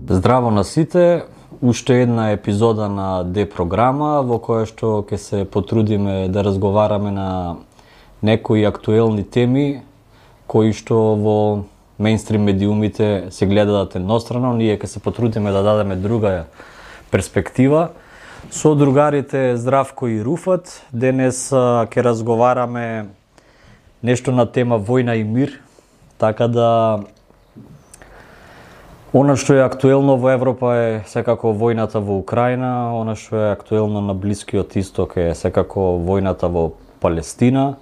Здраво на сите, уште една епизода на Д програма во која што ќе се потрудиме да разговараме на некои актуелни теми кои што во мејнстрим медиумите се гледаат еднострано, ние ќе се потрудиме да дадеме друга перспектива. Со другарите Здравко и Руфат, денес ќе разговараме нешто на тема војна и мир, така да она што е актуелно во Европа е секако војната во Украина, она што е актуелно на Блискиот Исток е секако војната во Палестина.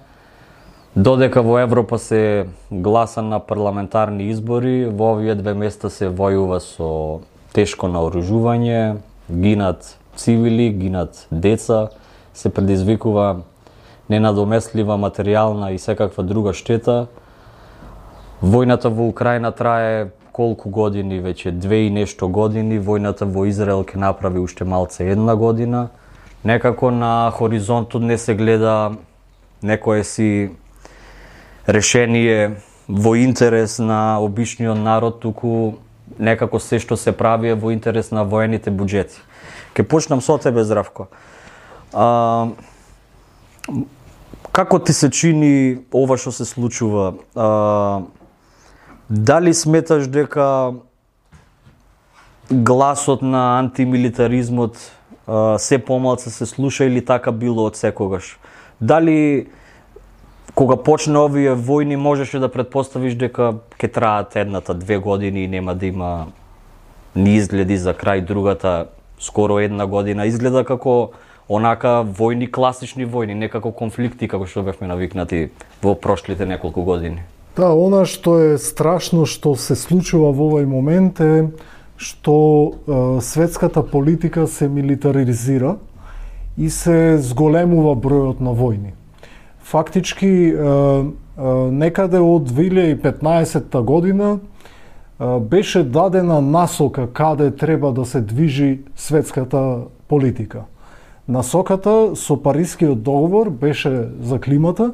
Додека во Европа се гласа на парламентарни избори, во овие две места се војува со тешко наоружување, гинат цивили, гинат деца, се предизвикува ненадомеслива материјална и секаква друга штета. Војната во Украина трае колку години, веќе 2 и нешто години, војната во Израел ќе направи уште малце 1 година. Некако на хоризонтот не се гледа некое си решение во интерес на обичниот народ, туку некако се што се прави е во интерес на воените буџети. Ке почнам со тебе, Здравко. Како ти се чини ова што се случува? Дали сметаш дека гласот на антимилитаризмот се помалку се слуша или така било од секогаш? Дали кога почне овие војни можеше да претпоставиш дека ќе траат 1-2 години и нема да има ни изгледи за крај, другата скоро 1 година? Изгледа како онака војни, класични војни, не како конфликти како што бевме навикнати во прошлите неколку години. Да, она што е страшно што се случува во овој момент е што светската политика се милитаризира и се зголемува бројот на војни. Фактички, некаде од 2015 година беше дадена насока каде треба да се движи светската политика. Насоката со Парискиот договор беше за климата,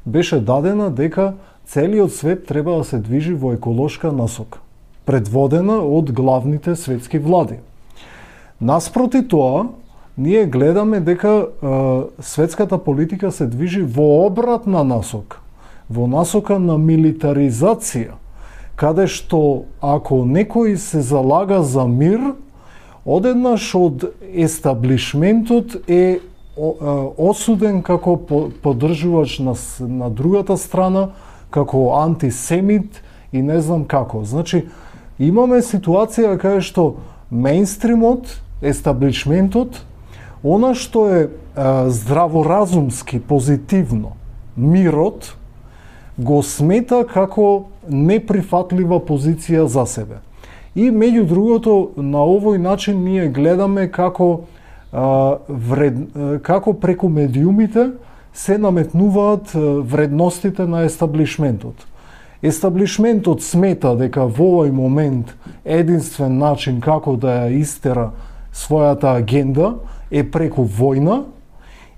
беше дадена дека целиот свет треба да се движи во еколошка насока, предводена од главните светски влади. Наспроти тоа, ние гледаме дека светската политика се движи во обратна насока, во насока на милитаризација, каде што ако некој се залага за мир, одеднаш од естаблишментот е осуден како поддржувач на другата страна, како антисемит и не знам како. Значи, имаме ситуација каде што мејнстримот, естаблишментот, она што е здраворазумски, позитивно, мирот, го смета како неприфатлива позиција за себе. И меѓу другото, на овој начин ние гледаме како преку медиумите се наметнуваат вредностите на естаблишментот. Естаблишментот смета дека во овој момент единствен начин како да ја истера својата агенда е преку војна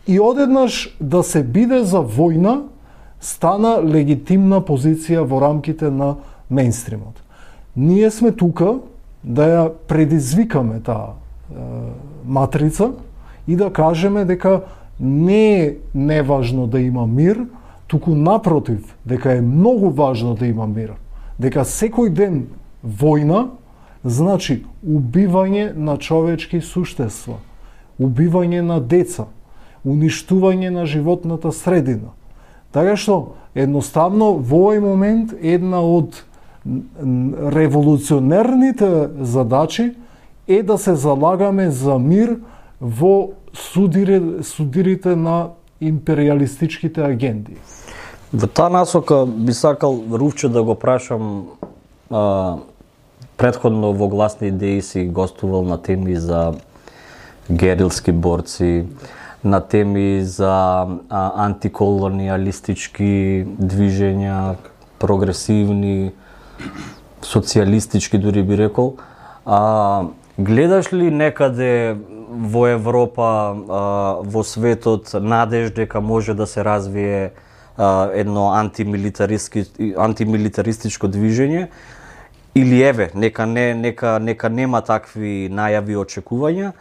и одеднаш да се биде за војна стана легитимна позиција во рамките на мејнстримот. Ние сме тука да ја предизвикаме таа матрица и да кажеме дека не е неважно да има мир, туку напротив, дека е многу важно да има мир. Дека секој ден војна значи убивање на човечки суштества, убивање на деца, уништување на животната средина. Така што, едноставно, во овој момент една од револуционерните задачи е да се залагаме за мир во судирите на империалистичките агенди. Во таа насока би сакал Руфче да го прашам, претходно во Гласни идеи си гостувал на теми за герилски борци, на теми за антиколониалистички движења, прогресивни, социјалистички дури би рекол. Гледаш ли некаде во Европа, во светот, надеж дека може да се развие едно антимилитаристичко движење или еве, нека нема такви најави и очекувања,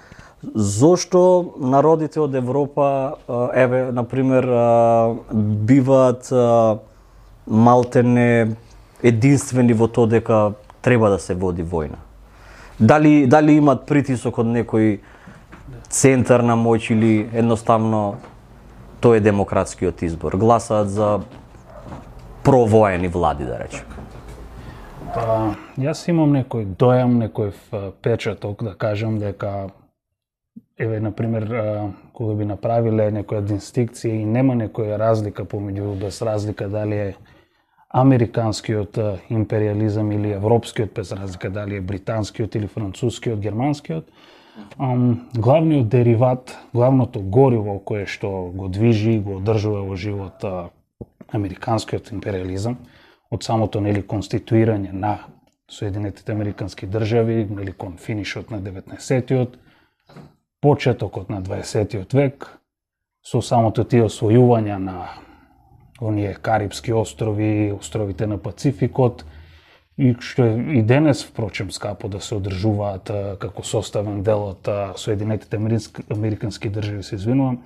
зошто народите од Европа, еве, например, биваат малтене единствени во тоа дека треба да се води војна? Дали имат притисок од некој центар на моќ или едноставно тој е демократскиот избор? Гласаат за провоени влади, да речем. Јас имам некој дојам, некој печаток да кажам дека еве, например, кога би направиле некоја дистинкција и нема некоја разлика помеѓу, без разлика дали е американскиот империализам или европскиот, без разлика дали е британскиот или францускиот, германскиот, главниот дериват, главното гориво кое што го движи, го одржува во живот американскиот империализам, од самото конституирање на Соединетите американски држави, кон финишот на 19-тиот, почетокот на 20-тиот век, со самото тие освојувања на оние Карипски острови, островите на Пацификот, и што е и денес, впрочем, скапо да се одржуваат како составен дел од Соединетите американски држави, се извинувам,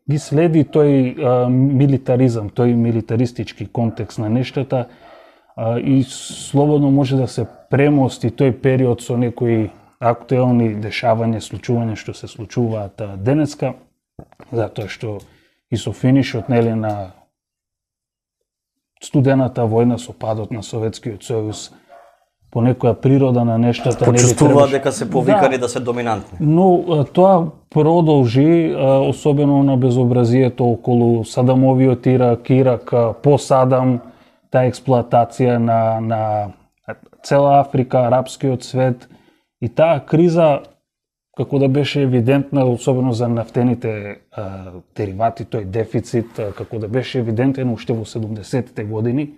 ги следи тој милитаризам, тој милитаристички контекст на нештата и слободно може да се премости тој период со некои актуелни дешавања, случувања што се случуваат денеска, затоа што и со финишот на студената војна, со падот на Советскиот сојуз, по некоја природа на нештата почувствуваат дека се повикани да се доминантни. Но тоа продолжи, особено на безобразието околу Садамовиот Ирак, по Садам, таа експлоатација на цела Африка, арапскиот свет, и таа криза, како да беше евидентна, особено за нафтените деривати, тој дефицит, како да беше евидентен уште во 70-те години,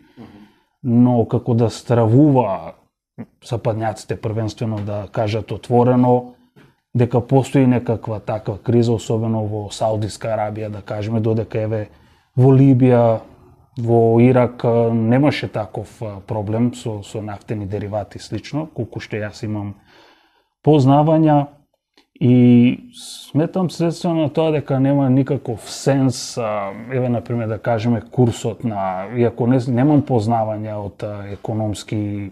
но како да стравува западњаците првенствено да кажат отворено дека постои некаква таква криза, особено во Саудиска Арабија, да кажеме, додека еве во Либија, во Ирак немаше таков проблем со нафтени деривати слично, колку што јас имам познавања, и сметам следствено на тоа дека нема никаков сенс, еве, например, да кажеме курсот на, иако немам познавања од економски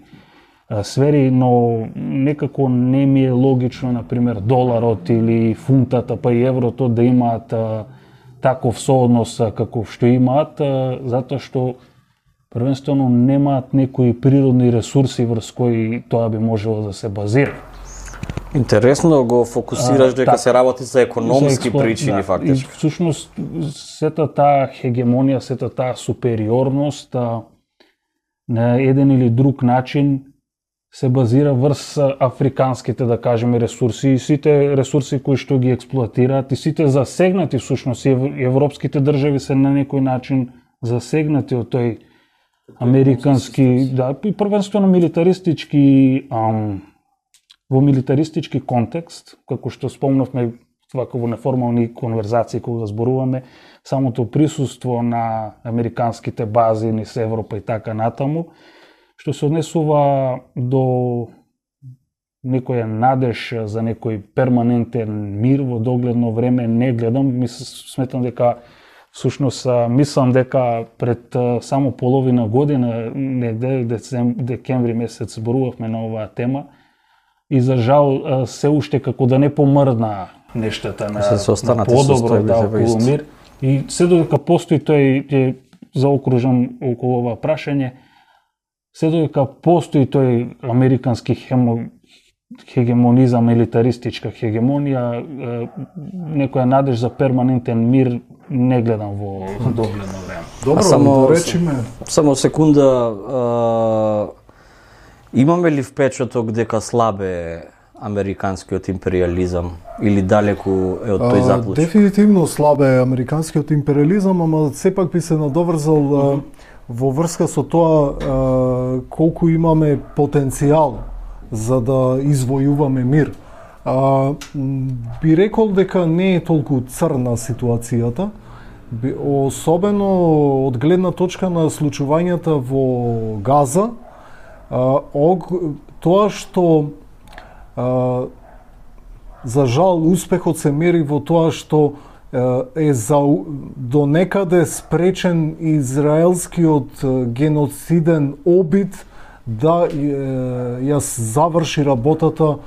сфери, но некако не ми е логично, например, доларот или фунтата, па и еврото да имаат таков сооднос каков што имаат, затоа што првенствено немаат некои природни ресурси врз кои тоа би можело да се базира. Интересно го фокусираш дека се работи за економски причини, фактично. И всушност сета таа хегемонија, сета таа супериорност на еден или друг начин се базира врз африканските, да кажеме, ресурси, и сите ресурси кои што ги експлоатираат, и сите засегнати, всушност, и европските држави се на некој начин засегнати од тој американски, да, и првенствено милитаристички, во милитаристички контекст, како што спомнавме вака во неформални конверзации кога зборуваме, самото присуство на американските бази низ Европа и така натаму, што се однесува до некоја надеж за некој перманентен мир во догледно време, не гледам, сметам дека всушност мислам дека пред само половина година, негде декември месец зборувавме на оваа тема, и за жал се уште како да не помрдна нештата на подобро, да, околу мир, и се додека постои тој, заокружам околу ова прашање, се додека постои тој американски хегемонизам, милитаристичка хегемонија, некоја надеж за перманентен мир не гледам во догледно време. Добро, да речеме. Само секунда, имаме ли впечаток дека слабе американскиот империализам или далеку е од тој заклучок? Дефинитивно слабе американскиот империализам, ама сепак би се надоврзал во врска со тоа колку имаме потенцијал за да извојуваме мир. Би рекол дека не е толку црна ситуацијата, особено од гледна точка на случувањата во Газа, Тоа што за жал успехот се мери во тоа што е до некаде спречен израелскиот геноциден обид да ја заврши работата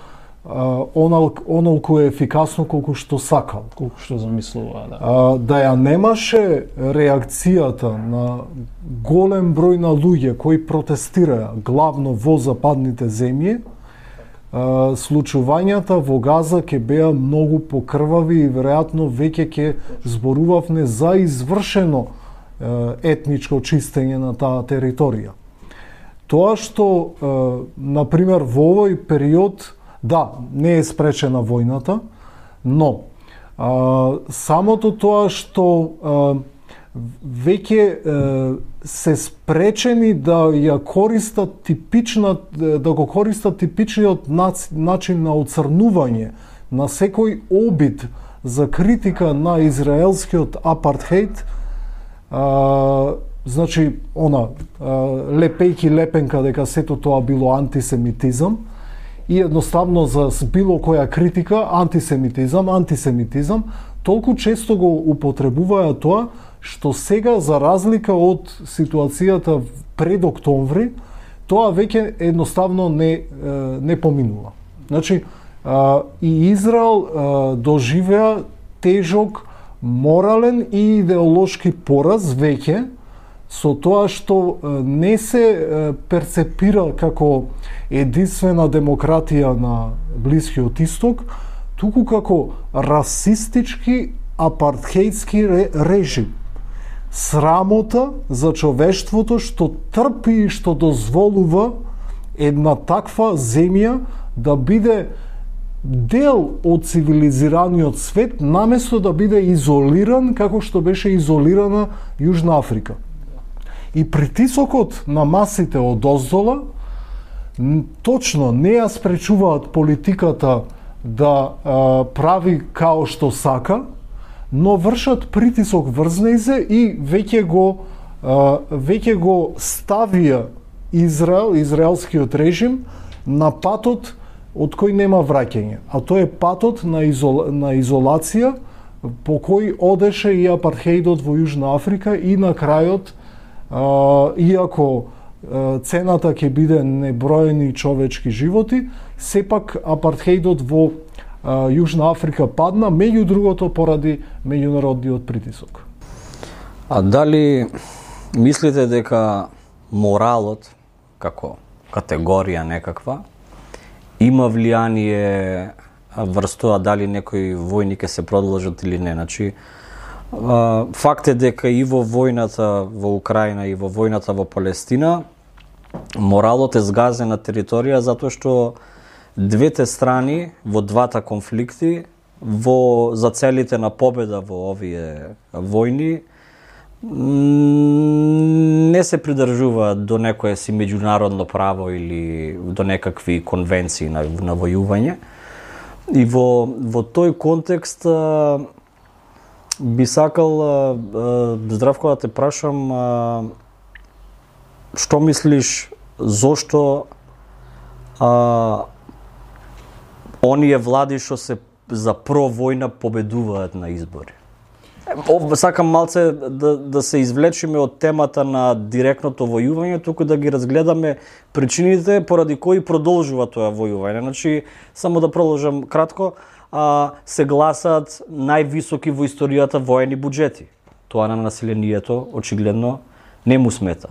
онолку ефикасно колку што сакал. Колку што замислува, да. Да ја немаше реакцијата на голем број на луѓе кои протестираа главно во западните земји, случувањата во Газа ќе беа многу покрвави и веројатно веќе ќе зборувавме за извршено етничко чистење на таа територија. Тоа што, например, во овој период, да, не е спречена војната, но самото тоа што веќе се спречени да ја користат да го користат типичниот начин на оцрнување на секој обид за критика на израелскиот апартхеид, значи лепејки лепенка дека сето тоа било антисемитизам и едноставно за било која критика антисемитизам, толку често го употребуваја тоа што сега, за разлика од ситуацијата пред октомври, тоа веќе едноставно не поминува. Значи, и Израел доживеа тежок морален и идеолошки пораз веќе, со тоа што не се перцепира како единствена демократија на Блискиот Исток, туку како расистички апартхеидски режим. Срамота за човештвото што трпи и што дозволува една таква земја да биде дел од цивилизираниот свет, наместо да биде изолиран како што беше изолирана Јужна Африка. И притисокот на масите од оздола точно не ја спречуваат политиката да прави као што сака, но вршат притисок врз нејзе и веќе го ставија израелскиот режим на патот од кој нема враќање, а тоа е патот на изолација по кој одеше и апартхеидот во Јужна Африка и на крајот, иако цената ќе биде неброени човечки животи, сепак апартхеидот во Јужна Африка падна, меѓу другото поради меѓународниот притисок. А дали мислите дека моралот, како категорија некаква, има влијание врз тоа дали некои војни ќе се продолжат или не? Значи, факт е дека и во војната во Украина и во војната во Палестина моралот е згазен на територија затоа што двете страни во двата конфликти за целите на победа во овие војни не се придржуваат до некое си меѓународно право или до некакви конвенции на војување. И во тој контекст би сакал, Здравко, да те прашам, што мислиш, зошто оние влади што се за провојна победуваат на избори? Сакам малце да се извлечеме од темата на директното војување, туку да ги разгледаме причините поради кои продолжува тоа војување. Значи, само да продолжам кратко, се гласаат највисоки во историјата воени буџети. Тоа на населението очигледно не му смета.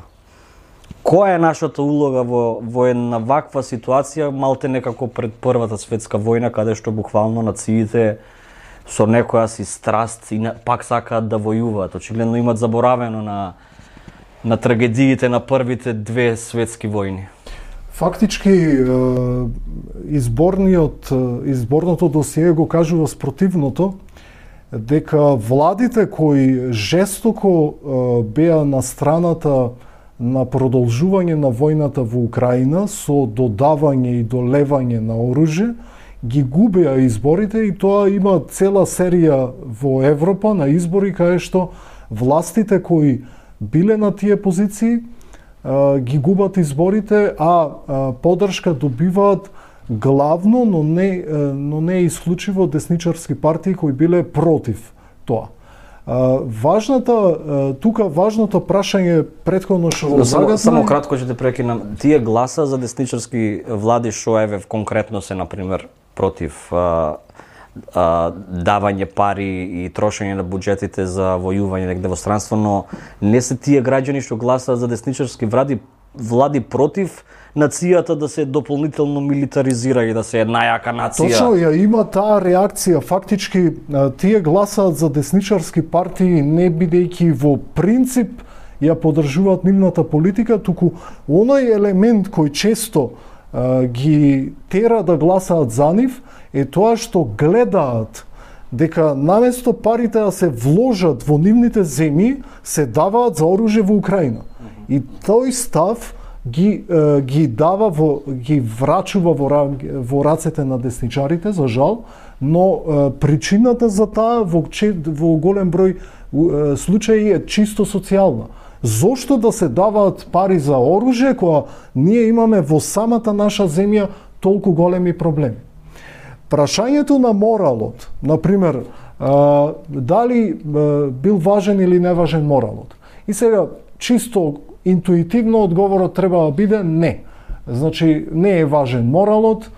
Која е нашата улога во една ваква ситуација, малте некако пред Првата светска војна, каде што буквално нациите со некоја си страст и пак сакаат да војуваат. Очигледно имат заборавено на трагедиите на првите две светски војни. Фактички, изборното досие го кажува спротивното, дека владите кои жестоко беа на страната на продолжување на војната во Украина со додавање и долевање на оружје, ги губеа изборите и тоа има цела серија во Европа на избори каде што властите кои биле на тие позиции ги губат изборите, а поддршка добиваат главно, но не исклучиво десничарски партии кои биле против тоа. Важното прашање претходно што го загатна... Само кратко ќе те прекинам. Тие гласа за десничарски влади шо еве конкретно се, например, против давање пари и трошење на буџетите за војување негде во странство, но не се тие граѓани што гласаат за десничарски влади против нацијата да се дополнително милитаризира и да се една јака нација. Точно, има таа реакција. Фактички, тие гласаат за десничарски партии не бидејќи во принцип ја поддржуваат нивната политика, туку оној елемент кој често ги тера да гласаат за нив е тоа што гледаат дека наместо парите да се вложат во нивните земји, се даваат за оружје во Украина. И тој став ги врачува во рацете на десничарите, за жал, но причината за таа во голем број случаи е чисто социјална. Зошто да се даваат пари за оружје кога ние имаме во самата наша земја толку големи проблеми? Прашањето на моралот, например, дали бил важен или неважен моралот? И сега, чисто интуитивно одговорот треба да биде не. Значи, не е важен моралот,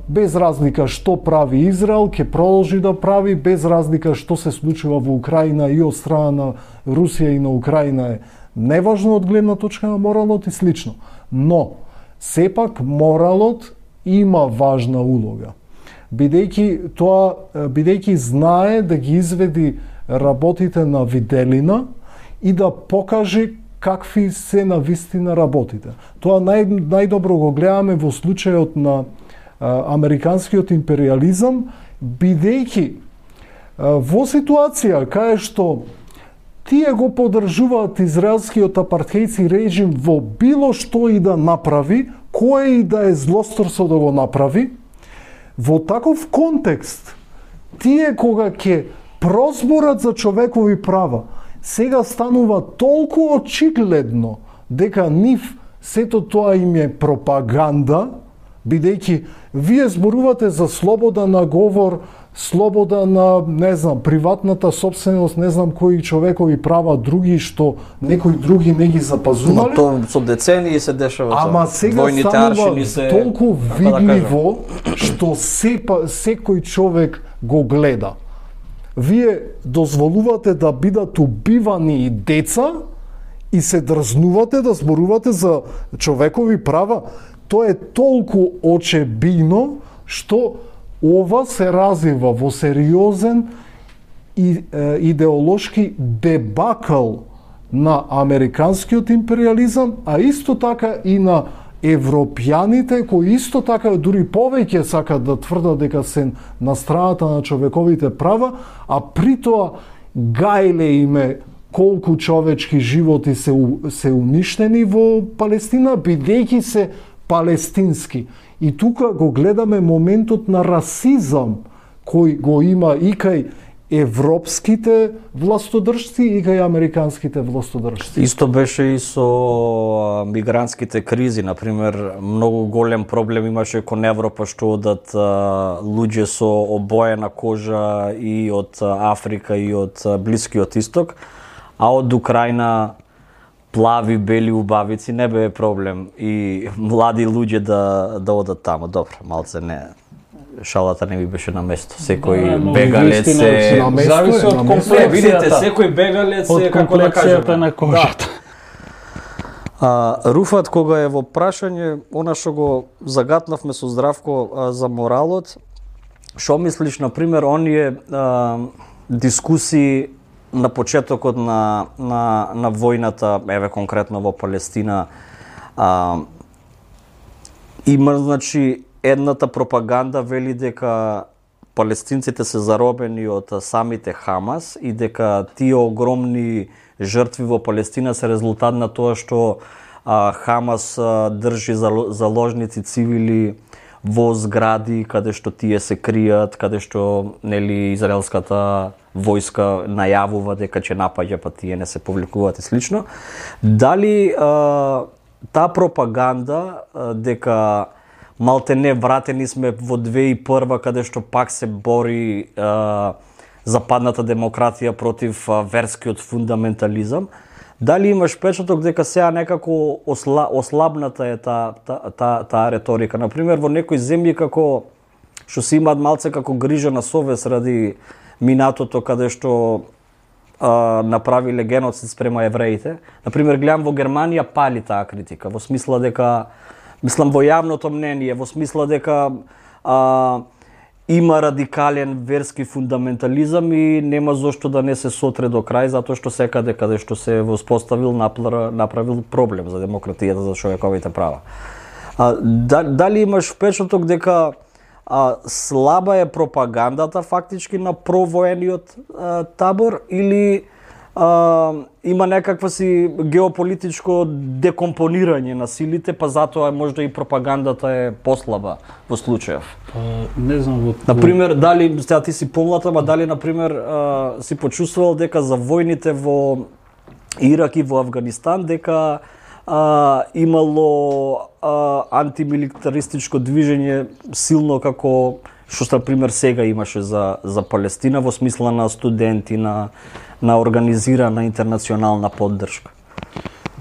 без разлика што прави Израел, ќе продолжи да прави, без разлика што се случува во Украина и од страна на Русија и на Украина е неважно од гледна точка на моралот и слично. Но, сепак моралот има важна улога. Бидејќи знае да ги изведи работите на виделина и да покаже какви се на вистина работите. Тоа најдобро го гледаме во случајот на американскиот империализам, бидејќи во ситуација кај што тие го поддржуваат израелскиот апартејски режим во било што и да направи, кое и да е злосторство да го направи, во таков контекст, тие кога ќе прозборат за човекови права, сега станува толку очигледно дека нив сето тоа им е пропаганда, бидејќи вие зборувате за слобода на говор, слобода на, приватната собственост, кои човекови права други што некои други не ги запазувале. Но тоа со децении се дешава тоа. Ама сега станува толку видливо што секој човек го гледа. Вие дозволувате да бидат убивани и деца и се дрзнувате да зборувате за човекови права. Тоа е толку очебино што ова се развива во сериозен идеолошки дебакл на американскиот империализам, а исто така и на европјаните кои исто така дури повеќе сакат да тврдат дека се на страната на човековите права, а при тоа гајле име колку човечки животи се уништени во Палестина, бидејќи се палестински. И тука го гледаме моментот на расизам кој го има и кај европските властодржци и кај американските властодржци. Исто беше и со мигрантските кризи, например, многу голем проблем имаше кон Европа што одат луѓе со обоена кожа и од Африка и од Блискиот Исток, а од Украина плави, бели убавици не бе проблем и млади луѓе да одат таму. Добро, малце не, шалата не ми беше на место. Секој бегалец е зависи од комплекцијата. Видите, секој бегалец е како да кажеме на кожата. Руфат кога е во прашање, она што го загатнавме со Здравко за моралот, што мислиш, например, оние дискусии на почетокот на војната, еве конкретно во Палестина, има, значи, едната пропаганда вели дека палестинците се заробени од самите Хамас и дека тие огромни жртви во Палестина се резултат на тоа што Хамас држи заложници цивили во згради каде што тие се кријат, каде што израелската војска најавува дека ќе напаѓа, па тие не се повлекуваат и слично. Дали таа пропаганда дека малтене вратени сме во 2001 каде што пак се бори западната демократија против верскиот фундаментализам, дали имаш впечаток дека сега некако ослабната е таа реторика? Например, во некои земји како што се имаат малце како грижа на совест ради минатото каде што направиле геноцид спрема евреите. Например, гледам во Германија пали таа критика, во смисла дека, мислам во јавното мнение, во смисла дека има радикален верски фундаментализам и нема зошто да не се сотре до крај, затоа што секаде каде што се воспоставил направил проблем за демократијата, за човековите права. Дали имаш впечаток дека слаба е пропагандата фактички на провоениот табор или има некаква си геополитичко декомпонирање на силите, па затоа можда и пропагандата е послаба во случајов? Не знам. Например, дали сега ти си помлад, ама дали например си почувствувал дека за војните во Ирак и во Авганистан дека имало антимилитаристичко движење силно како што например сега имаше за Палестина во смисла на студенти, на организирана интернационална поддршка?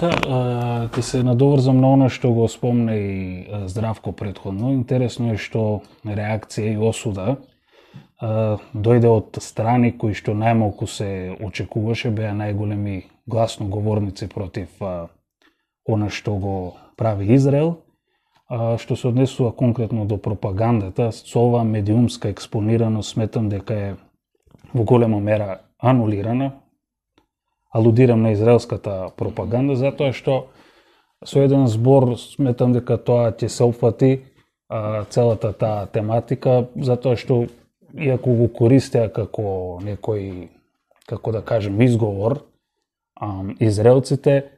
Да, ти се надоврзам на оно што го спомна и Здравко претходно. Интересно е што реакција и осуда дојде од страни кои што најмалку се очекуваше, беа најголеми гласноговорници против она што го прави Израел. Што се однесува конкретно до пропагандата, со оваа медиумска експонираност сметам дека е во голема мера анулирана. Алудирам на израелската пропаганда, затоа што со еден збор сметам дека тоа ќе се опфати целата таа тематика, затоа што иако го користеа како некој, како да кажем, изговор, израелците,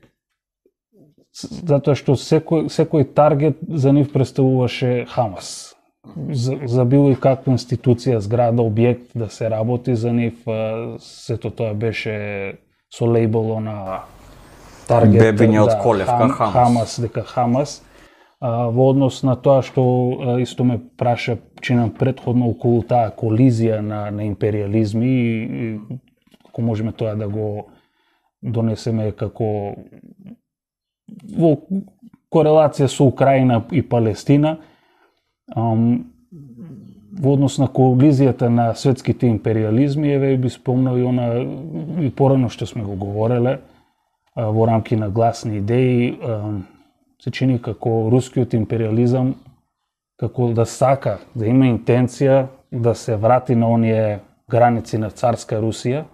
затоа што секој таргет за нив представуваше Хамас. За било и каква институција, зграда, објект да се работи за нив, сето тоа беше со лейбело на таргет. Бебиње од колевка Хамас, дека Хамас. Во однос на тоа што исто ме праша чинам претходно околу таа колизија на империализми и ако можеме тоа да го донесеме како во корелација со Украина и Палестина, во однос на колизијата на светските империализми, еве би спомнал и она и порано што сме го говореле во рамки на гласни идеи, се чини како рускиот империализам како да сака, да има интенција да се врати на оние граници на царска Русија,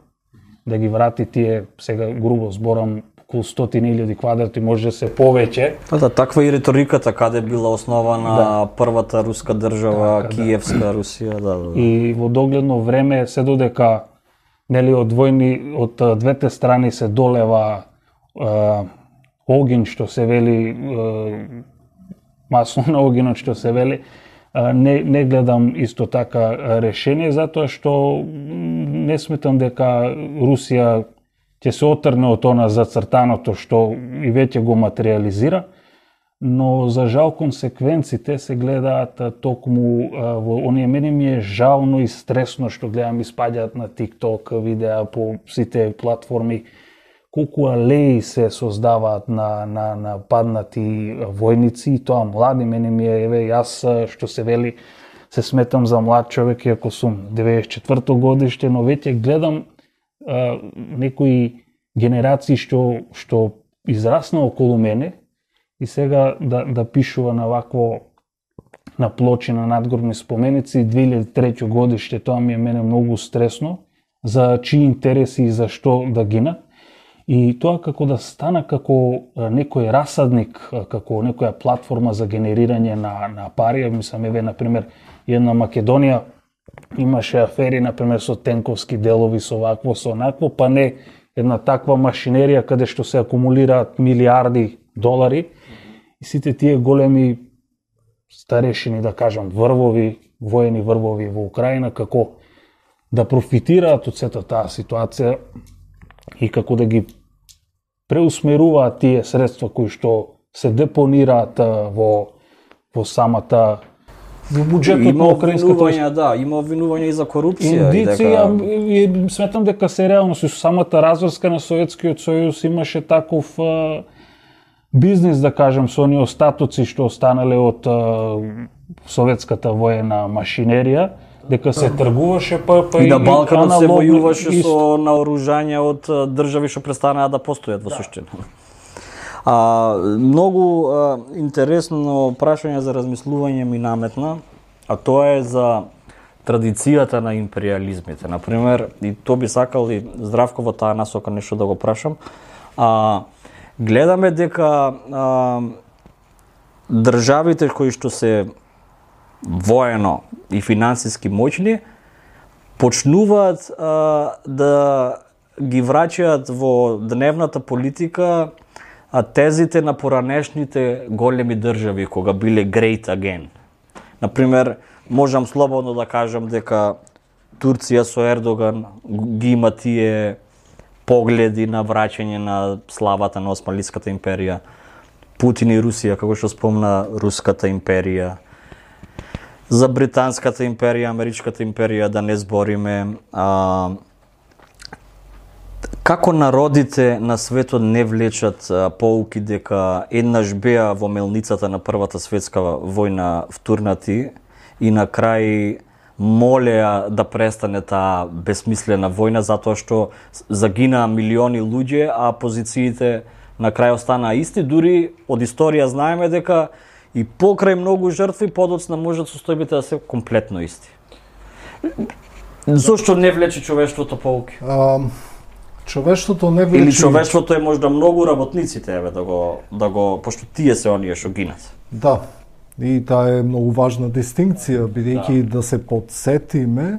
да ги врати тие, сега грубо зборам, околу 100.000 квадрати, може да се повеќе. Да, таква и риториката каде била основана првата руска држава, Киевска Русија, да. И во догледно време се додека нели од двете страни се долева огин што се вели, масло на огинот што се вели, не гледам исто така решение, затоа што не сметам дека Русија ќе се отрне од она зацртаното што и веќе го материализира, но за жал консеквенците се гледаат токму во оние. Мене ми е жално и стресно што гледам испаѓаат на TikTok видеа по сите платформи, колку алеи се создаваат на паднати војници, и тоа млади. Мене ми е, еве, јас што се вели, се сметам за млад човек, иако сум 94-то годиште, но веќе гледам некои генерации што израсна околу мене и сега да пишува на вакво, на плочи, на надгробни споменици 2003 годиште, тоа ми е мене многу стресно, за чии интереси и за што да гинат. И тоа како да стана како некој расадник, како некоја платформа за генерирање на пари. Мислам, еве, например, една Македонија имаше афери, например, со тенковски делови, со вакво, со онакво, па не една таква машинерија каде што се акумулираат милиарди долари и сите тие големи старешини, да кажам, врвови, воени врвови во Украина, како да профитираат од сета таа ситуација и како да ги преусмеруваат тие средства кои што се депонираат во самата во буџетот на украинската. Има обвинувања и за корупција. Индици, сметам дека се реално со самата разврска на Советскиот сојуз имаше таков бизнис, да кажем, со оние остатоци што останале од советската воена машинерија, дека се тргуваше и на Балканот се војуваше со наоружања од држави што престанаа да постојат во суштина. Многу интересно прашање за размислување ми наметна, а тоа е за традицијата на империализмите. Например, и тоа би сакал и Здравко во таа насока нешто да го прашам. Гледаме дека државите кои што се воено и финансиски моќни почнуваат да ги враќаат во дневната политика тезите на поранешните големи држави кога биле great again. Например, можам слободно да кажам дека Турција со Ердоган ги има тие погледи на враќање на славата на Османлиската империја. Путин и Русија, како што спомна, Руската империја. За Британската империја, Америчката империја да не збориме. Како народите на светот не влечат поуки дека еднаш беа во мелницата на Првата светска војна втурнати и на крај молеа да престане таа безсмислена војна затоа што загинаа милиони луѓе, а позициите на крај останаа исти, дури од историја знаеме дека и покрај многу жртви подоцна можат состојбите да се комплетно исти. Зошто не влече човештвото поуки? Човештвото не влече. Или човештвото е можда многу работниците, да го пошто тие се оние што гинат. Да. И таа е многу важна дистинкција, бидејќи да се подсетиме,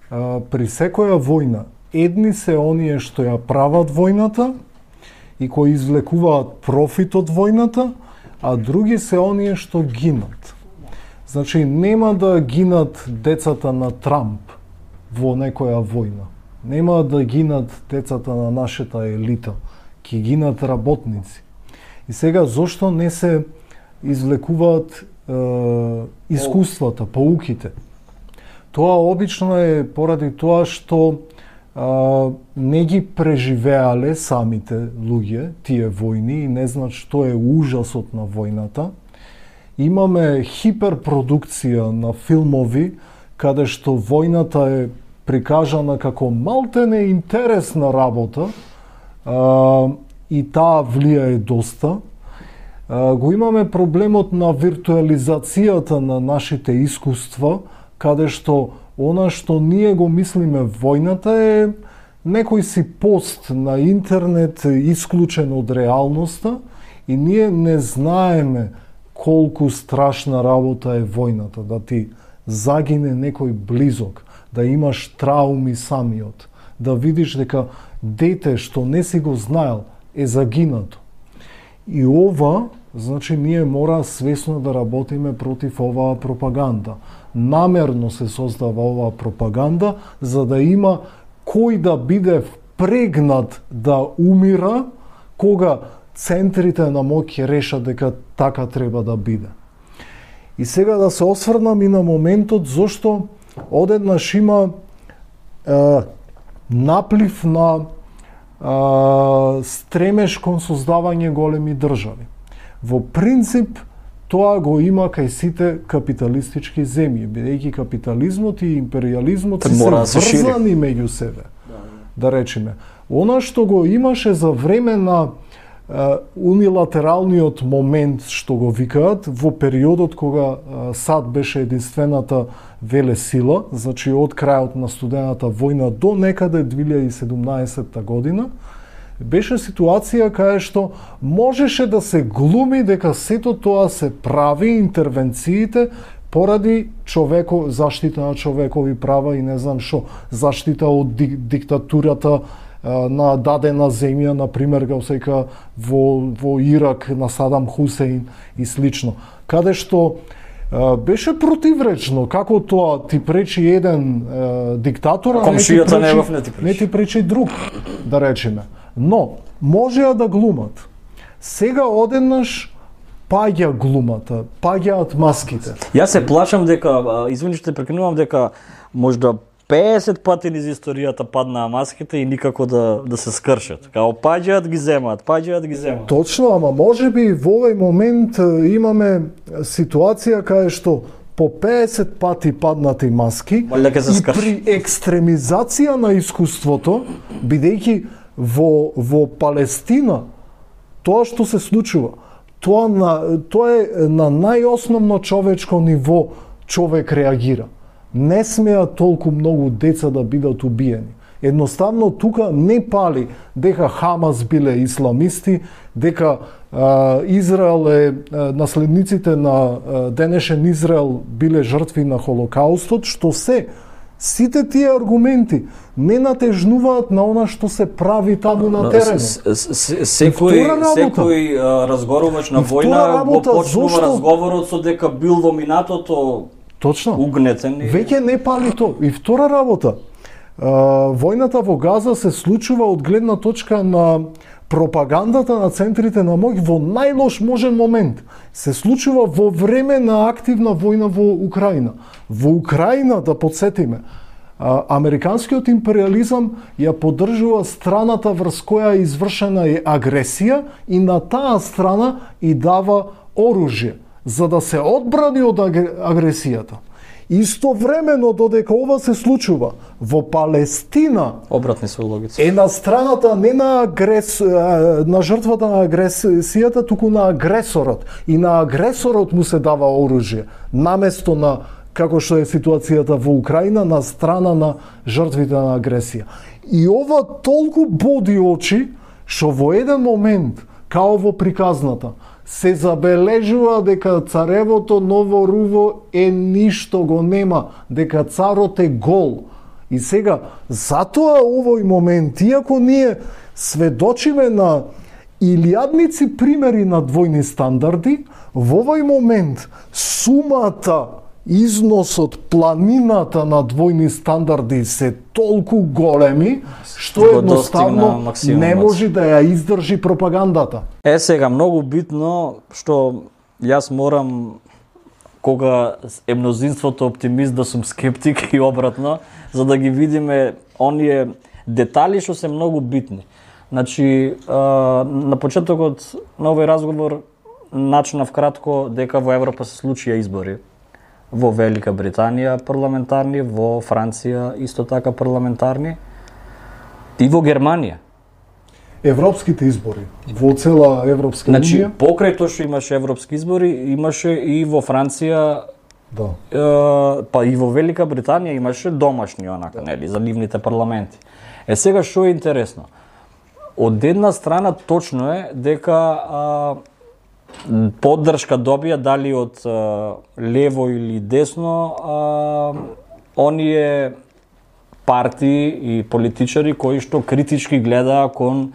при секоја војна, едни се оние што ја прават војната и кои извлекуваат профит од војната, а други се оние што гинат. Значи, нема да гинат децата на Трамп во некоја војна. Нема да гинат децата на нашата елита. Ки гинат работници. И сега, зошто не се извлекуваат искуствата, поуките? Тоа обично е поради тоа што не ги преживеале самите луѓе тие војни и не знаат што е ужасот на војната. Имаме хиперпродукција на филмови каде што војната е прикажана како малтене интересна работа и таа влијае доста. Го имаме проблемот на виртуализацијата на нашите искуства, каде што она што ние го мислиме војната е некој си пост на интернет исклучен од реалноста и ние не знаеме колку страшна работа е војната, да ти загине некој близок, да имаш трауми самиот, да видиш дека дете што не си го знаел е загинато. И ова, значи, ние мора свесно да работиме против оваа пропаганда. Намерно се создава оваа пропаганда, за да има кој да биде впрегнат да умира, кога центрите на моќ ќе решат дека така треба да биде. И сега да се осврнам и на моментот зошто одеднаш има наплив на стремеж кон создавање големи држави. Во принцип, тоа го има кај сите капиталистички земји, бидејќи капитализмот и империализмот се врзани меѓу себе. Да речеме. Она што го имаше за време на унилатералниот момент, што го викаат, во периодот кога САД беше единствената велесила, значи од крајот на студената војна до некаде 2017 година, беше ситуација кај што можеше да се глуми дека сето тоа се прави, интервенциите, поради заштита на човекови права и не знам што, заштита од диктатурата на дадена земја, например, како сека во Ирак на Садам Хусеин и слично. Каде што беше противречно, како тоа ти пречи еден диктатор, а Комшијата не ти пречи друг, да речеме. Но можеа да глумат. Сега одеднаш паѓа глумата, паѓаат маските. Јас се плашам дека, извини што те прекинувам, дека можда 50 пати низ историјата паднаа маските и никако да се скршат. Као паѓаат ги земаат, паѓаат ги земаат. Точно, ама можеби во овој момент имаме ситуација каде што по 50 пати паднати маски и при екстремизација на искуството, бидејќи во Палестина тоа што се случува, тоа е на најосновно човечко ниво човек реагира. Не смеа толку многу деца да бидат убиени. Едноставно тука не пали дека Хамас биле исламисти, дека Израел наследниците на денешен Израел биле жртви на Холокаустот, што сите тие аргументи не натежнуваат на она што се прави таму на теренот. Секој разговорувач на војна го почнува разговорот со дека бил во минатото угнетен. Веќе не пали то. И втора работа, војната во Газа се случува од гледна точка на пропагандата на центрите на моќ во најлош можен момент. Се случува во време на активна војна во Украина. Во Украина, да подсетиме, американскиот империализам ја поддржува страната врз која е извршена агресија и на таа страна и дава оружје за да се одбрани од агресијата. Истовремено додека ова се случува во Палестина, обратни се логици. Е на страната не на на жртвата на агресијата, туку на агресорот. И на агресорот му се дава оружје, наместо на како што е ситуацијата во Украина, на страна на жртвите на агресија. И ова толку боди очи што во еден момент, као во приказната, се забележува дека царевото ново руво ништо го нема, дека царот е гол. И сега, затоа овој момент, иако ние сведочиме на илјадници примери на двојни стандарди, во овој момент сумата, износот, планината на двојни стандарди се толку големи, што едноставно не може да ја издржи пропагандата. Сега, многу битно, што јас морам, кога е мнозинството оптимист, да сум скептик и обратно, за да ги видиме оние детали што се многу битни. Значи, на почетокот на овој разговор начнав кратко дека во Европа се случија избори. Во Велика Британија парламентарни, во Франција исто така парламентарни и во Германија. Европските избори во цела Европска унија. Значи, покрај тоа што имаше европски избори, имаше и во Франција, па и во Велика Британија имаше домашни онака, нели, за нивните парламенти. Сега што е интересно? Од една страна точно е дека поддршка добија дали од лево или десно оние партии и политичари кои што критички гледаа кон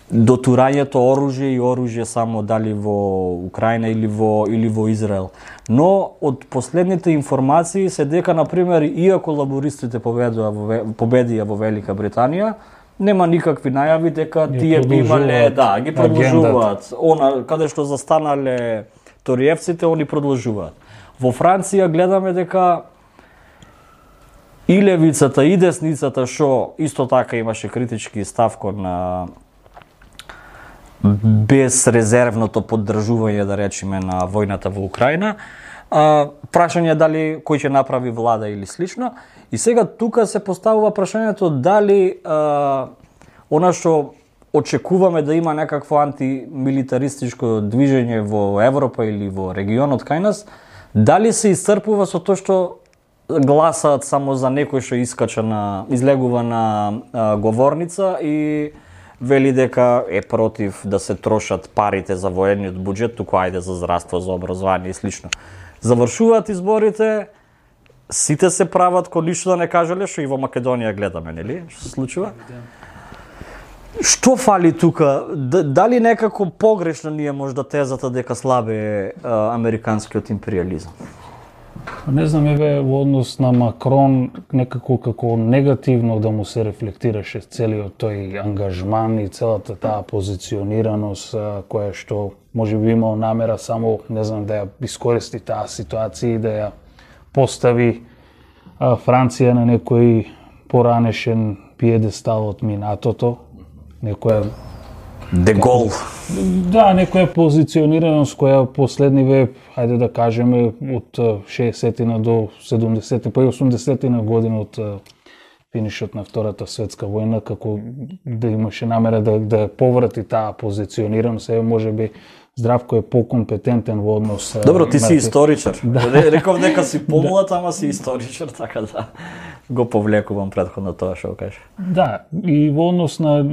дотурањето оружје и оружје само дали во Украина или во Израел. Но од последните информации се дека, например, иако лабористите победија во Велика Британија, нема никакви најави дека тие би имале, ги продолжуваат. Она каде што застанале ториевците, они продолжуваат. Во Франција гледаме дека и левицата и десницата, што исто така имаше критички став кон безрезервното поддржување, да речеме, на војната во Украина. Прашање дали кој ќе направи влада или слично. И сега тука се поставува прашањето дали она што очекуваме да има некакво антимилитаристичко движење во Европа или во регионот кај нас, дали се исцрпува со тоа што гласаат само за некој што излегува на говорница и вели дека е против да се трошат парите за военниот буџет, туку ајде за здравство, за образование и слично. Завршуваат изборите, сите се прават ко ништо да не кажале, што и во Македонија гледаме, нели? Што се случува? Што фали тука? Дали некако погрешна ни е можда тезата дека слабе е американскиот империализам? Не знам, еве во однос на Макрон некако како негативно да му се рефлектираше целиот тој ангажман и целата таа позиционираност која што можеби имал намера само, не знам, да ја искористи таа ситуација и да ја постави Франција на некој поранешен пиедестал од минатото, некоја Де Гол. Да, некоја позиционираност која последниве, хајде да кажеме, од 60-тина до 70-ти, па и 80-тина година од финишот на Втората светска војна, како да имаше намера да поврати таа позиционираност, можеби Здравко е покомпетентен во однос... Добро, ти си историчар. Реков дека си помлад, ама си историчар, така да го повлекувам претходно тоа што кажа. Да, и во однос на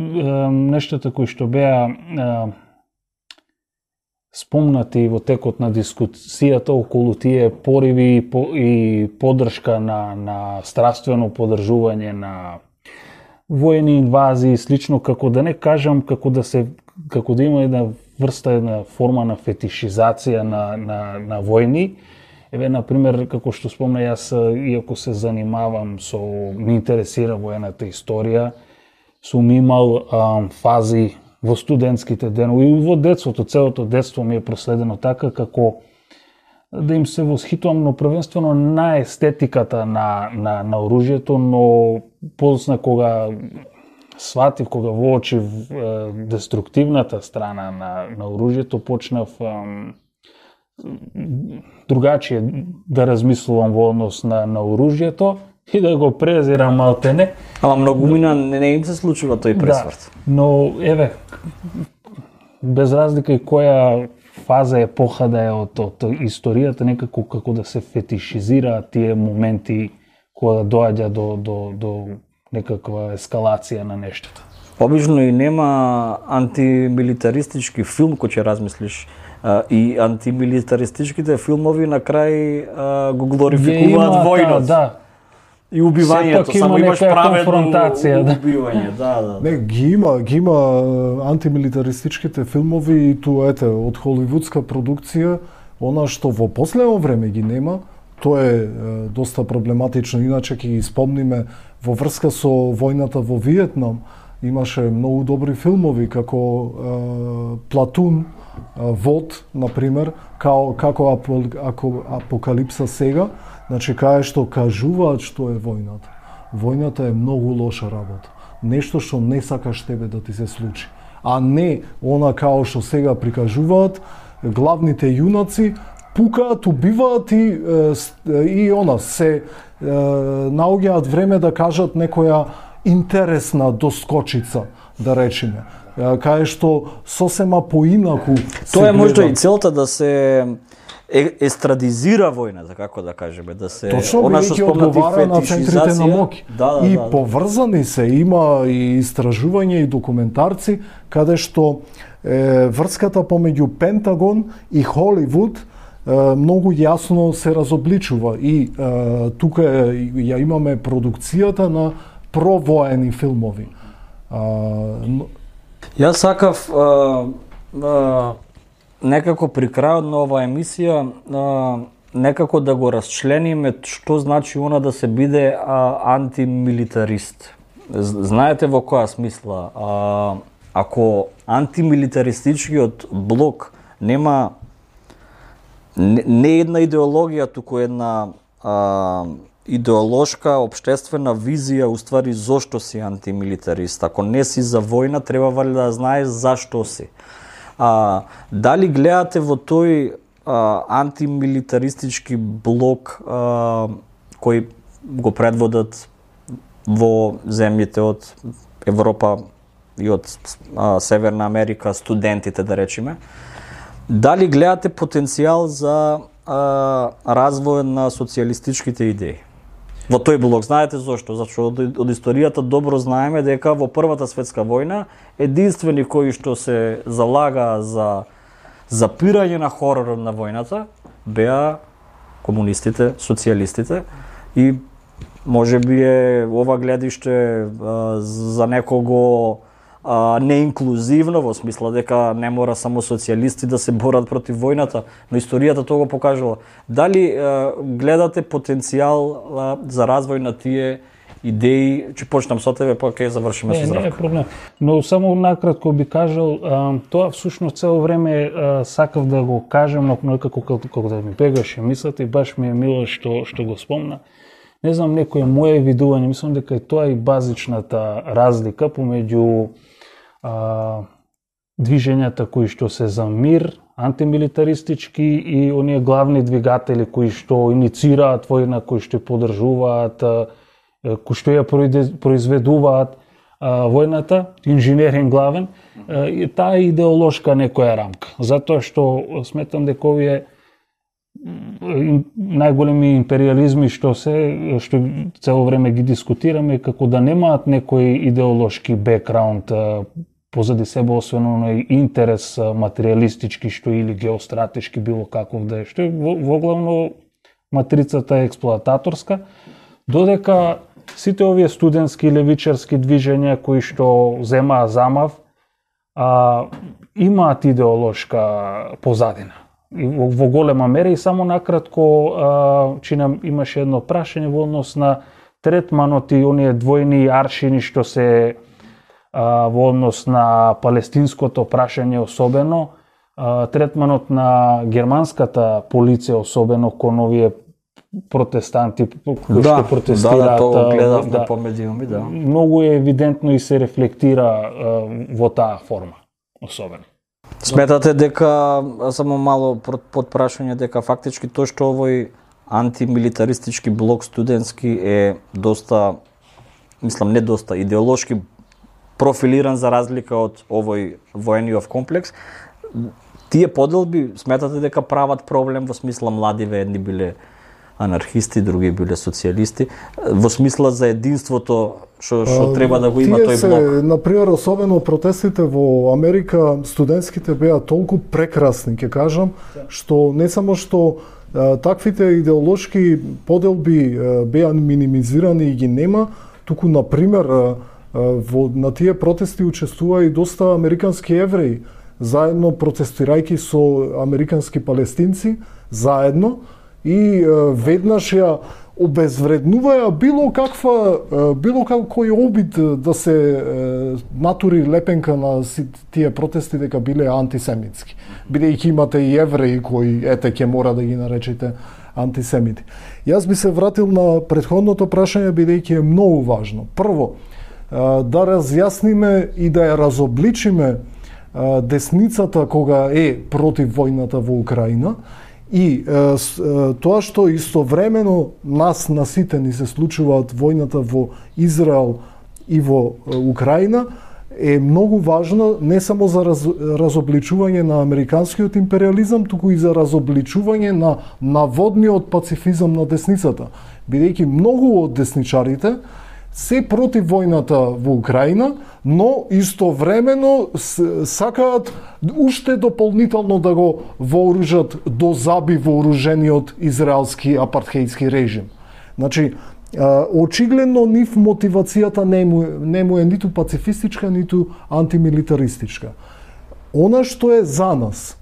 нештата кои што беа спомнати во текот на дискусијата околу тие пориви и поддршка на страствено поддржување на воени инвазии, слично, како да не кажам, како да има една врста, една форма на фетишизација на војни. Еве, например, како што спомна, јас, иако се занимавам ми интересира воената историја, сум имал фази во студентските денови и во детството, целото детство ми е проследено така, како да им се восхитувам, но првенствено на естетиката на оружјето, но подоцна кога сватив, кога воочив деструктивната страна на оружјето, почнав другачие да размислувам во однос на оружјето и да го презирам малтене. Ама многумина не им се случува тој пресврт. Да, но еве, без разлика и која фаза епоха да е од историјата, некако како да се фетишизира тие моменти кога доаѓа до некаква ескалација на нештото. Обично и нема антимилитаристички филм кој ќе размислиш, и антимилитаристичките филмови на крај го глорификуваат војнот. Да. И убивањето, само имаш праведно убивање, да. Не, ги има антимилитаристичките филмови и тоа ете од холивудска продукција, она што во последно време ги нема, тоа е доста проблематично, иначе ќе ги спомниме во врска со војната во Виетнам, имаше многу добри филмови како Платун, Вод, например, како Апокалипса сега, значи кај што кажуваат што е војната. Војната е многу лоша работа. Нешто што не сакаш тебе да ти се случи. А не она као што сега прикажуваат, главните јунаци пукаат, убиваат и она се наоѓаат време да кажат некоја интересна доскочица, да речеме. Кај што сосема поинаку тоа е можда и целта да се естрадизира војната, како да кажеме, да се она што одговара на центрите на моќ. И поврзани се, има и истражување и документарци каде што врската помеѓу Пентагон и Холивуд многу јасно се разобличува и тука ја имаме продукцијата на провоени филмови. Јас сакав некако при крајот на оваа емисија некако да го расчлениме што значи она да се биде антимилитарист. Знаете во која смисла? Ако антимилитаристичкиот блок нема не една идеологија, туку една идеолошка, општествена визија, уствари зошто си антимилитарист. Ако не си за војна, треба да знаеш зашто си. Дали гледате во тој антимилитаристички блок кој го предводат во земјите од Европа и од Северна Америка, студентите, да речеме, дали гледате потенцијал за развој на социјалистичките идеи? Во тој блок, знаете зошто? Зашто од историјата добро знаеме дека во Првата светска војна единствени кои што се залага за запирање на хоророт на војната беа комунистите, социјалистите и можеби е ова гледиште за некого неинклузивно, во смисла дека не мора само социјалисти да се борат против војната, но историјата тоа го покажала. Дали гледате потенцијал за развој на тие идеи? Ќе почнам со тебе, па ќе завршиме со Здравко. Не е проблем. Но само накратко би кажал, тоа всушност цело време сакав да го кажем, но некако како да ми бегаше мислата и баш ми е мило што го спомна. Не знам, некое мое видување, мислам дека е тоа и базичната разлика помеѓу движењата кои што се за мир, антимилитаристички и оние главни двигатели кои што иницираат војна, кои што ја поддржуваат, кои што ја произведуваат војната, инженеринг главен, таа идеолошка некоја рамка. Затоа што сметам дека овие најголеми империализми што цело време ги дискутираме, како да немаат некој идеолошки бекграунд позади себе, освен оној интерес материјалистички што или геостратешки, било каков да е, што е воглавно матрицата е експлоататорска, додека сите овие студентски левичарски движења кои што земаа замав имаат идеолошка позадина во голема мера. И само накратко, чинам имаше едно прашање во однос на третманот и оние двојни аршини што се во однос на палестинското прашање, особено третманот на германската полиција, особено кон овие протестанти кои што протестираат. Тоа гледавме по медиуми, да. Многу е евидентно и се рефлектира во таа форма, особено. Сметате дека, само мало подпрашање, дека фактички тоа што овој антимилитаристички блок студентски е доста, мислам не доста, идеолошки профилиран за разлика од овој воениов комплекс, тие поделби сметате дека прават проблем во смисла младиве, едни биле анархисти, други биле социјалисти, во смисла за единството што треба да го има тој блок? Например, особено протестите во Америка, студентските беа толку прекрасни, ќе кажам, што не само што таквите идеолошки поделби беа минимизирани и ги нема, туку, например, на тие протести учествува и доста американски евреи, заедно протестирајќи со американски палестинци, заедно, и веднаш ја обезвреднуваја било какој обид да се натури лепенка на тие протести дека биле антисемитски. Бидејќи имате и евреи кои, ќе мора да ги наречете антисемити. Јас би се вратил на претходното прашање, бидејќи е многу важно. Прво, да разјасниме и да ја разобличиме десницата кога е против војната во Украина, и тоа што истовремено нас на сите ни се случуваат војната во Израел и во Украина, е многу важно не само за разобличување на американскиот империализам, туку и за разобличување на наводниот пацифизам на десницата, бидејќи многу од десничарите се против војната во Украина, но истовремено сакаат уште дополнително да го вооружат до заби вооружениот израелски апартхејски режим. Значи, очигледно нив мотивацијата не му е ниту пацифистичка, ниту антимилитаристичка. Она што е за нас,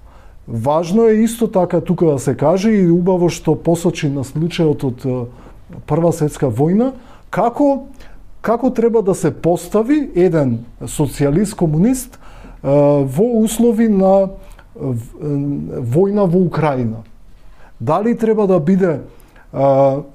важно е исто така тука да се каже и убаво што посочи на случајот од Прва светска војна, како треба да се постави еден социјалист, комунист во услови на војна во Украина. Дали треба да биде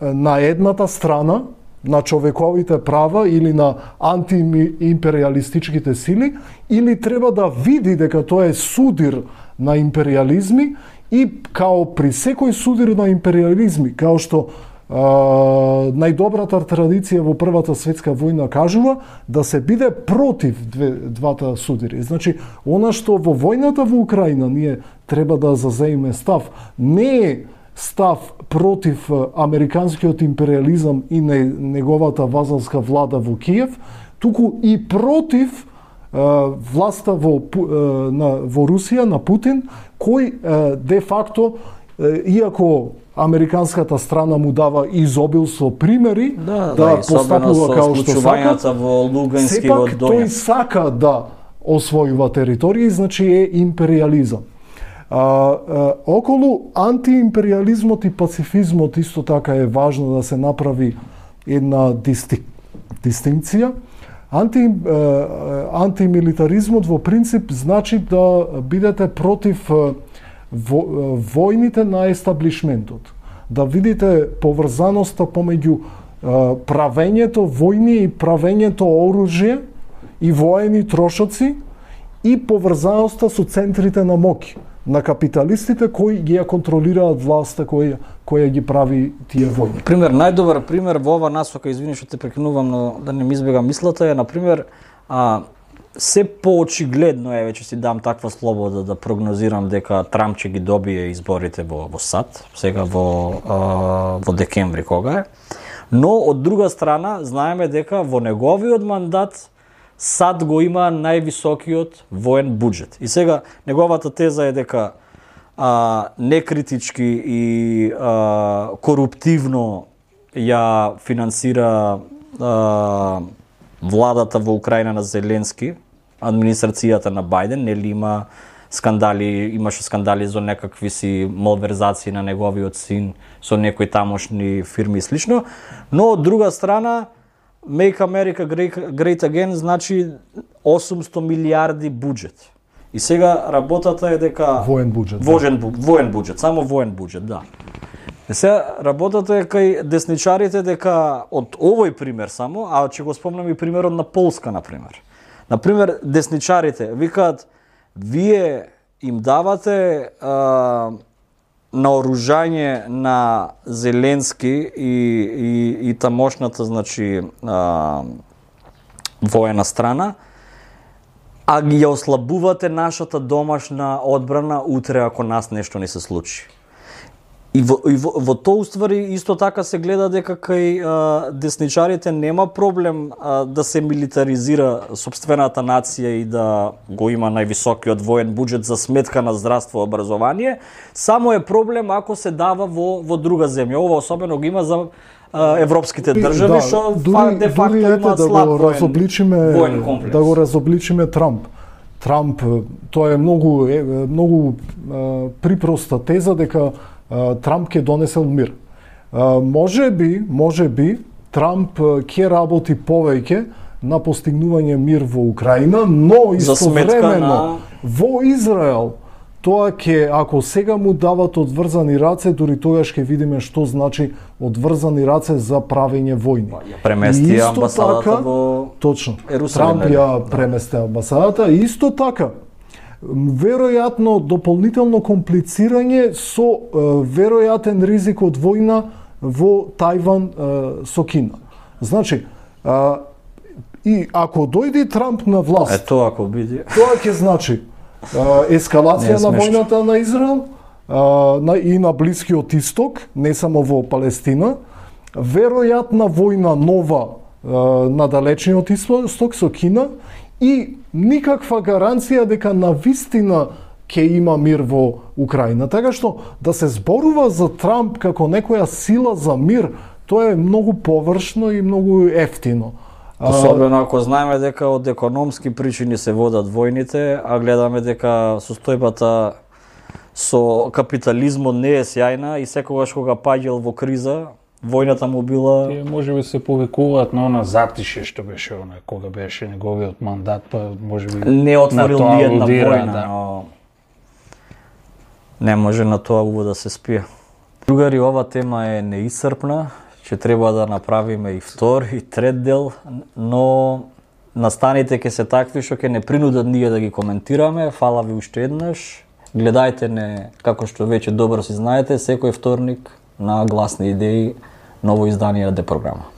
на едната страна на човековите права или на антиимпериалистичките сили, или треба да види дека тоа е судир на империализми и као при секој судир на империализми, као што најдобрата традиција во Првата светска војна кажува да се биде против двата судири. Значи, она што во војната во Украина ние треба да зазееме став, не е став против американскиот империализам и неговата вазалска влада во Киев, туку и против власта во Русија, на Путин, кој де факто, иако американската страна му дава изобилство примери да постапува као што сака, во Лугански, сепак тој сака да освојува територии, значи е империализам. Околу антиимпериализмот и пацифизмот исто така е важно да се направи една дистинкција. Антимилитаризмот во принцип значи да бидете против војните на естаблишментот. Да видите поврзаноста помеѓу правењето војни и правењето оружје и воени трошоци и поврзаноста со центрите на моќ на капиталистите кои ги ја контролираат власта која ги прави тие војни. Пример, најдобар пример во ова насока, извини што те прекинувам, но да не ми избегам мислата, е на пример се поочигледно е, веќе си дам таква слобода да прогнозирам дека Трамп ќе ги добие изборите во САД, сега во декември кога е. Но од друга страна знаеме дека во неговиот мандат САД го има највисокиот воен буџет. И сега неговата теза е дека некритички и коруптивно ја финансира владата во Украина на Зеленски, администрацијата на Бајден, нели имаше скандали за некакви си малверзации на неговиот син со некои тамошни фирми и слично, но од друга страна Make America Great Again значи 800 милиарди буџет. И сега работата е дека воен буџет. Воен буџет, само воен буџет, да. И сега работата е кај десничарите дека од овој пример само, а ќе го спомнам и примерот на Полска на пример. На пример десничарите викаат вие им давате наоружање на Зеленски и тамошната, значи, воена страна, а ги ја ослабувате нашата домашна одбрана утре ако нас нешто не се случи. И во тоа уствари исто така се гледа дека кај десничарите нема проблем да се милитаризира сопствената нација и да го има највисокиот воен буџет за сметка на здравство и образование, само е проблем ако се дава во друга земја. Ова особено го има за европските држави, што де факто имаат слаб воен комплекс. Да го разобличиме Трамп. Трамп, тоа е многу припроста теза дека Трамп ќе донесел мир. Може би Трамп ќе работи повеќе на постигнување мир во Украина, но истовремено во Израел тоа ќе, ако сега му дават одврзани раце, дури тогаш ќе видиме што значи одврзани раце за правење војни. Премести амбасадата во точно. Ерусалим. Трамп ја премести амбасадата и исто така веројатно дополнително комплицирање со веројатен ризик од војна во Тајван со Кина. Значи, и ако дојде Трамп на власт, тоа ако биде, тоа ќе значи ескалација на војната на Израел и на Блискиот Исток, не само во Палестина, веројатна војна нова на далечниот Исток со Кина и никаква гаранција дека навистина ќе има мир во Украина. Така што да се зборува за Трамп како некоја сила за мир, тоа е многу површно и многу ефтино. Особено ако знаеме дека од економски причини се водат војните, а гледаме дека состојбата со капитализмот не е сјајна и секогаш кога паѓал во криза, војната му била... Тие можеби се повикуваат на она затише што беше она, кога беше неговиот мандат, па можеби не отворил ни една војна, да. но не може на тоа убаво да се спие. Другари, ова тема е неисцрпна, ќе треба да направиме и втор и трет дел, но настаните ќе се такви што ќе не принудат ние да ги коментираме. Фала ви уште еднаш. Гледајте не, како што веќе добро си знаете, секој вторник на Гласни идеи, ново издание на Д програма.